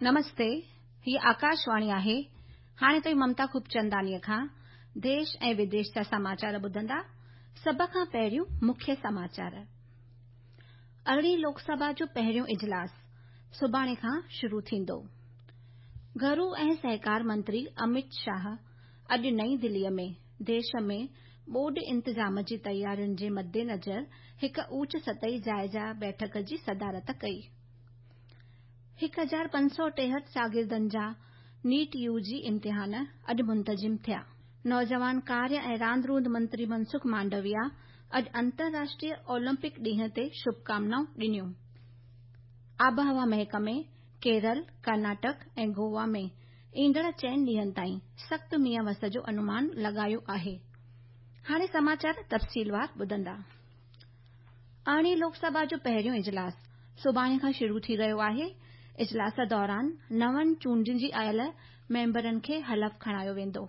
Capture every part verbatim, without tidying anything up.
نمستي، هيء آڪاشواڻي آهي. هاڻي توهين ممتا خوبچنداڻيء کان ديش ۽ وديش جا سماچار ٻڌندا. سڀ کان پهريون مکيه سماچار. ارڙهين لوڪ سڀا جو پهريون اجلاس سڀاڻي کان شروع ٿيندو. گهرو ۽ سهڪار منتري امت شاهه اڄ نئين دليء ۾ ديش ۾ ٻوڏ انتظام جي تيارين جي مدنظر هڪ اوچ سطحي جائزه بيٺڪ جي صدارت ڪئي. هڪ هزار پنج سؤ ٽيهٺ شاگردن جا نيٽ يو جي امتحان اڄ منتظم ٿيا. نوجوان ڪاريه ۽ راند روند منتري منسک مانڊويا اڄ انترراشٽريه اولمپڪ ڏينهن تي شڀڪامنائون ڏنيون. آبهوا محڪمي ڪيرل، ڪرناٽڪ ۽ گوا ۾ ايندڙ چئن ڏينهن تائين سخت مينهن وس جو انومان لڳايو آهي. هاڻي سماچار تفصيلوار ٻڌندا. ارڙهين لوڪ سڀا جو پهريون اجلاس سڀاڻي کان شروع ٿي رهيو آهي. اجلاس دوران نون چونڊجي آيل ميمبرن کي حلف کڻايو ويندو.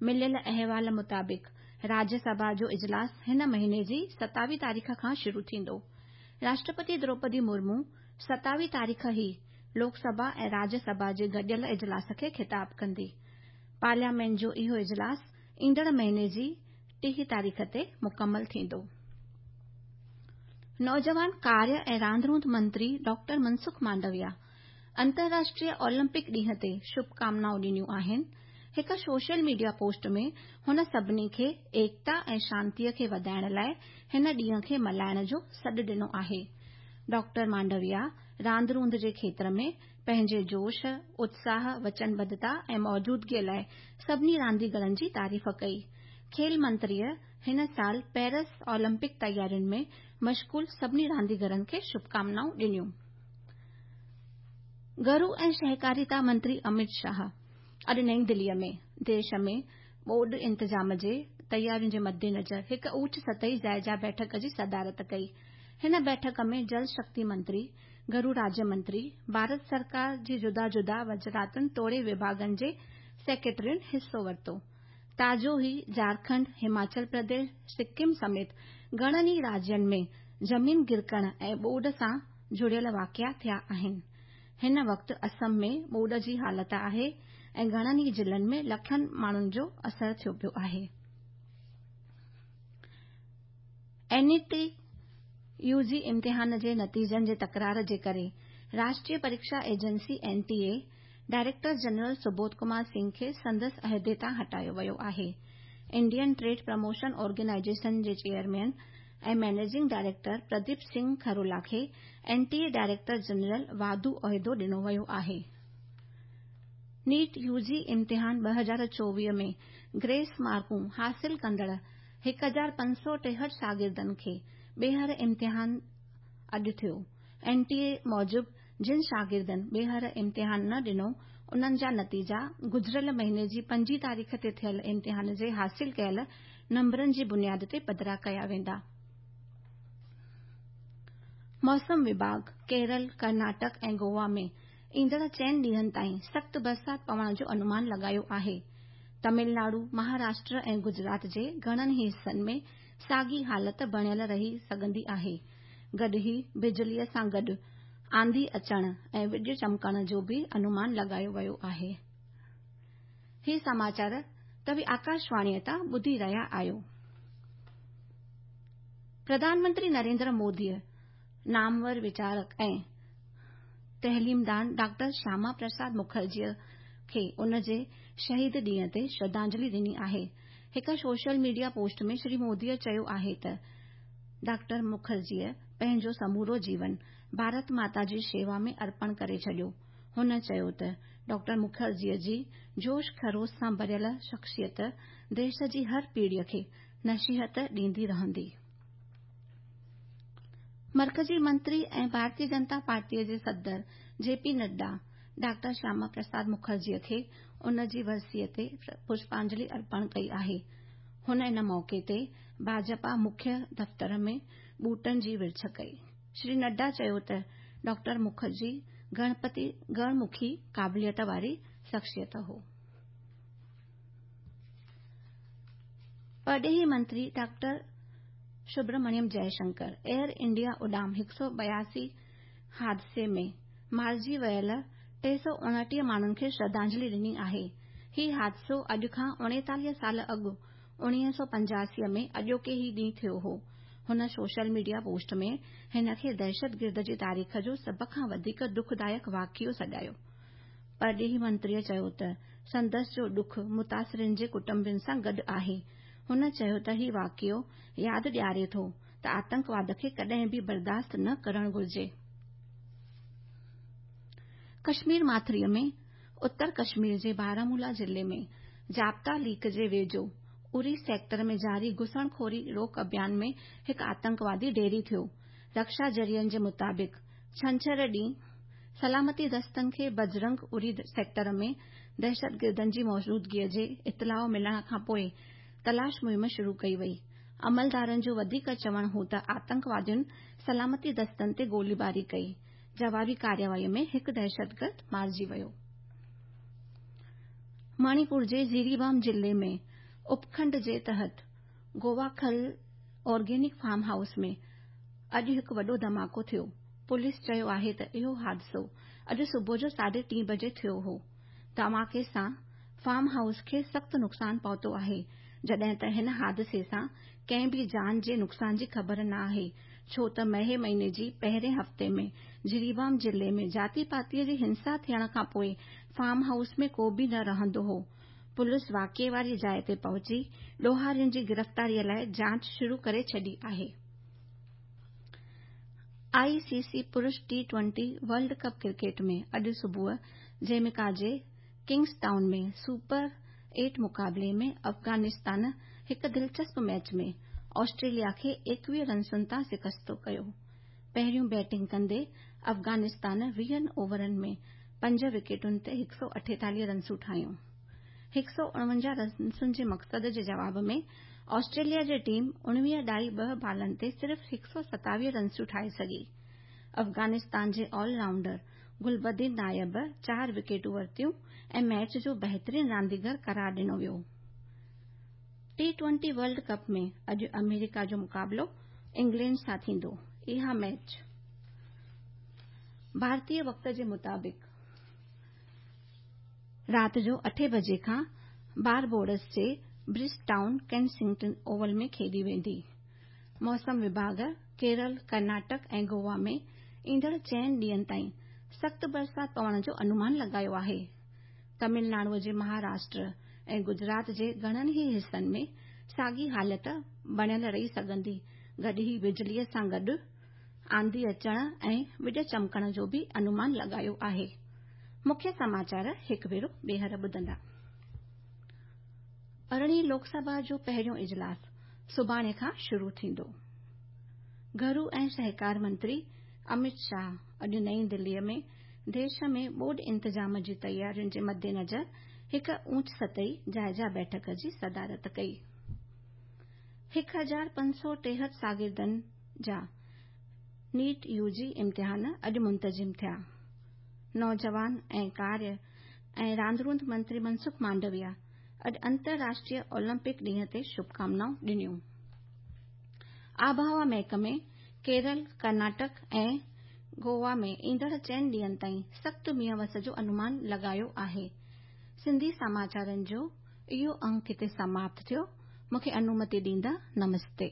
مليل احوال مطابق راجيه سڀا جو اجلاس هن مهيني جي ستاويهه تاريخ کان شروع ٿيندو. راشٽرپتي دروپدي مرمو ستاويهه تاريخ ئي لوڪ سڀا ۽ راجيه سڀا جي گڏيل اجلاس کي خطاب ڪندي. پارليامينٽ جو اهو اجلاس ايندڙ مهيني جي ٽيهه تاريخ تي مڪمل ٿيندو. نوجوان ڪاريه ۽ راند روند منتري ڊاڪٽر منسک مانڊويا انترراشٽريه اولمپڪ ڏينهن تي شڀڪامنائون ڏنيون آهن. هڪ سوشل ميڊيا پوسٽ ۾ هن سڀني کي ايڪتا ۽ شانتيء کي وڌائڻ لاء هن ڏينهن کي ملهائڻ جو سڏ ڏنو آهي. ڊاڪٽر مانڊويا راند روند جي کيتر ۾ پنهنجي جوش، اتساهه، وچنبڌتا ۽ موجودگيء لاء سڀني رانديگرن جي تعريف ڪئي. کيل منتريء هن سال پيرس اولمپڪ تيارين ۾ مشغول سڀني رانديگرن کي شڀڪامنائون ڏنيون. گهرو ۽ سهڪاريتا منتري امت شاهه اڄ نئين دليء ۾ ديش ۾ ٻوڏ انتظام جي تيارين جي مدنظر هڪ اوچ سطحي جائزه بيٺڪ جي صدارت ڪئي. هن بيٺڪ ۾ جل شڪتي منتري، گهرو راجيه منتري، ڀارت سرڪار جي جدا جدا وزارتن توڙي وڀاڳن جي سيڪريٽرين حصو ورتو. تازو ئي جهارکنڊ، هماچل پرديش، سڪم سميت گهڻن ئي راجين ۾ زمين گرڪڻ ۽ ٻوڏ سان جڙيل واقعا ٿيا آهن. هن وقت اسم ۾ ٻوڏ جي حالت آهي ۽ گهڻن ئي ضلعن ۾ لکن ماڻهن جو اثر ٿيو پيو آهي. اين ٽي يو جي امتحان جي نتيجن جي تڪرار جي ڪري Rashtriya پريڪشا agency N T A director general Subodh Kumar Singh کي سندس عهدي تان هٽايو ويو آهي. انڊين ٽريڊ پروموشن آرگنائيزيشن جي chairman ۽ managing director Pradeep Singh Kharola کي N T A director general واڌو عهدو ڏنو ويو آهي. نيٽ يو جي امتحان ٻه هزار چوويهه ۾ گريس مارڪون حاصل ڪندڙ هڪ هزار پنج سؤ ٽيهٺ شاگردن کي ٻيهر امتحان اڄ ٿيو. اين ٽي اي موجب جن شاگردن ٻيهر امتحان نه ڏنو انهن جا نتيجا گذريل مهيني جي پنجين تاريخ تي ٿيل امتحان جي حاصل ڪيل نمبرن جي بنياد تي پڌرا ڪيا ويندا. موسم وڀاڳ ڪيرل، ڪرناٽڪ ۽ گوا ۾ ايندڙ چئن ڏينهن تائين سخت برسات پوڻ جو انومان لڳايو آهي. تامل ناڊو، مهاراشٽر ۽ گجرات جي گهڻن ئي حصن ۾ ساڳي حالت بڻيل رهي سگهندي آهي. گڏ ئي بجليء سان گڏ آنڌي اچڻ ۽ وڄ چمڪڻ جو به انومان لڳايو ويو آهي. هي سماچار توهين آڪاشواڻيء تان ٻڌي رهيا آهيو. پرڌان منتري نريندر موديء نامور ويچارڪ ۽ تعليمدان ڊاڪٽر شياما پرساد مکرجيء کي ان جي شهيد ڏينهن تي شرڌانجلي ڏني آهي. هڪ سوشل ميڊيا پوسٽ ۾ شري موديء چيو آهي ته ڊاڪٽر مکرجيء پنهنجو سمورو جيون ڀارت ماتا جي شيوا ۾ ارپڻ ڪري ڇڏيو. هن چيو ته ڊاڪٽر مکرجيء جي جوش خروش سان ڀريل شخصيت ديش جي هر پيڙهيء کي نصيحت ڏيندي رهندي. مرڪزي منتري ۽ ڀارتيه جنتا پارٽيء جي صدر جي پي نڊا ڊاڪٽر شياما پرساد مکرجيء کي ان جي ورسيء تي پشپانجلي ارپڻ ڪئي آهي. هن ان موقعي تي ڀاجپا مکيه دفتر ۾ ٻوٽن جي ورڇ ڪئي. شري نڊا چيو ته ڊاڪٽر مکرجي گڻپتي گڻمکي قابليت واري شخصيت هو. پرڏيهي منتري doctor Subrahmanyam Jaishankar Air India Udan هڪ سؤ ٻياسي حادثي ۾ مارجي ويل ٽي سؤ اڻٽيهه ماڻهن کي شرڌانجلي ڏني آهي. هي حادثو اڄ کان اڻيتاليهه سال اڳ اڻويهه سؤ پنجاسي ۾ اڄوڪي ئي ڏينهن ٿيو هو. هن سوشل ميڊيا پوسٽ ۾ هن کي دهشتگرد جي تاريخ جو سڀ کان وڌيڪ دکدائڪ واقعو سڏايو. پرڏيهي منتريء چيو ته سندس جو ڏک متاثرين جي ڪٽنبن سان گڏ آهي. هن چيو ته هي واقعو ياد ڏياري ٿو ته آتنڪواد کي ڪڏهن به برداشت نه ڪرڻ گهرجي. ڪشمير ماٿريء ۾ اتر ڪشمير جي بارامولا ضلعي ۾ ضابطا ليڪ جي ويجهو اوري سيڪٽر ۾ جاري گهسڻخوري روڪ اڀيان ۾ هڪ آتنڪوادي ڍيري ٿيو. رڪشا ذريعن جي مطابق ڇنڇر ڏينهن سلامتي دستن کي بجرنگ اوري سيڪٽر ۾ دهشتگردن جي موجودگيء جي اطلاع ملڻ کانپوء تلاش مهم شروع ڪئي وئي. عملدارن جو وڌيڪ چوڻ هو ته آتنڪوادين سلامتي دستن تي گوليباري ڪئي. جوابي ڪارروائي ۾ هڪ دهشتگرد مارجي ويو. مڻيپور جي جيريبام ضلعي ۾ اپکنڊ جي تحت گوواکل آرگينڪ فارم هائوس ۾ اڄ هڪ وڏو ڌماڪو ٿيو. پوليس چيو آهي ته اهو حادثو اڄ صبح جو ساڍي ٽين بجي ٿيو هو. ڌماڪي سان فارم هائوس کي سخت نقصان پهتو آهي، جڏهن ته هن حادثي سان ڪنهن به جان جي نقصان جي خبر نه آهي، ڇو ته مئي مهيني جي پهرين هفتي ۾ جريبام ضلعي ۾ ذاتي پاتيء جي هنسا ٿيڻ کانپوء فارم هائوس ۾ ڪو به نه رهندو هو. پوليس واقعي واري جاءِ تي پهچي ڏوهارين جي گرفتاريء لاءِ جاچ شروع ڪري ڇڏي آهي. آء سي سي پرش T twenty world cup cricket ۾ اڄ صبح جيميڪا جي ڪنگز ٽائون ۾ سپر ايٽ مقابلي ۾ افغانستان هڪ دلچسپ ميچ ۾ آسٽريليا کي ايڪويهه رنسن تان شڪست ڪيو. پهريون بيٽنگ ڪندي افغانستان ويهن اوورن ۾ پنج وڪيٽن تي هڪ سؤ اٺيتاليهه رنسون ٺاهيون. هڪ سؤ اڻونجاهه رنسن جي مقصد جي جواب ۾ آسٽريليا جي ٽيم اڻويهه ڏهائي ٻه بالن تي صرف هڪ سؤ ستاويهه رنسون ٺاهي سگهي. افغانستان جي آل رائونڊر گلبدين نائب چار وڪيٽون ورتيون ۽ ميچ جو بهترين رانديگر قرار ڏنو ويو. ٽي ٽوئنٽي ورلڊ ڪپ ۾ اڄ آمريڪا جو مقابلو انگلينڊ سان ٿيندو. اها ميچ ڀارتي وقت جي مطابق رات جو اٺين بجي کان باربوڊس جي برج ٽائون ڪينسنگٽن اوول ۾ کيڏي ويندي. موسم وڀاڳ ڪيرل، ڪرناٽڪ ۽ گوا ۾ ايندڙ چئن ڏينهن تائين سخت برسات پوڻ جو انومان لڳايو آهي. تامل ناڊو جي مهاراشٽر ۽ گجرات جي گهڻن ئي حصن ۾ ساڳي حالت بڻيل رهي سگهندي. گڏ ئي بجليء سان گڏ آنڌي اچڻ ۽ وڄ چمڪڻ جو به انومان لڳايو آهي. مکيه سماچار هڪ ڀيرو ٻيهر ٻڌندا. ارڙهين لوڪ سڀا جو پهريون اجلاس سڀاڻي کان شروع ٿيندو. گهرو ۽ سهڪار منتري امت شاهه اڄ نئين دليء ۾ ديش ۾ ٻوڏ انتظام جي تيارين جي مدنظر هڪ اوچ سطحي جائزه بيٺڪ جي صدارت ڪئي. هڪ هزار پنج سؤ ٽيهٺ شاگردن جا نيٽ يو جي امتحان اڄ منتظم ٿيا. نوجوان ۽ ڪاريه ۽ راند روند منتري منسک مانڊويا اڄ انترراشٽريه اولمپڪ ڏينهن تي شڀڪامنائون ڏنيون. آبهوا محڪمي ڪيرل، ڪرناٽڪ ۽ گوا ۾ ايندڙ چئن ڏينهن تائين سخت مينهن وس جو انومان لڳايو آهي. سنڌي سماچارن جو اهو انڪ هتي سماپت ٿيو. مون کي انومتي ڏيندا. نمستي.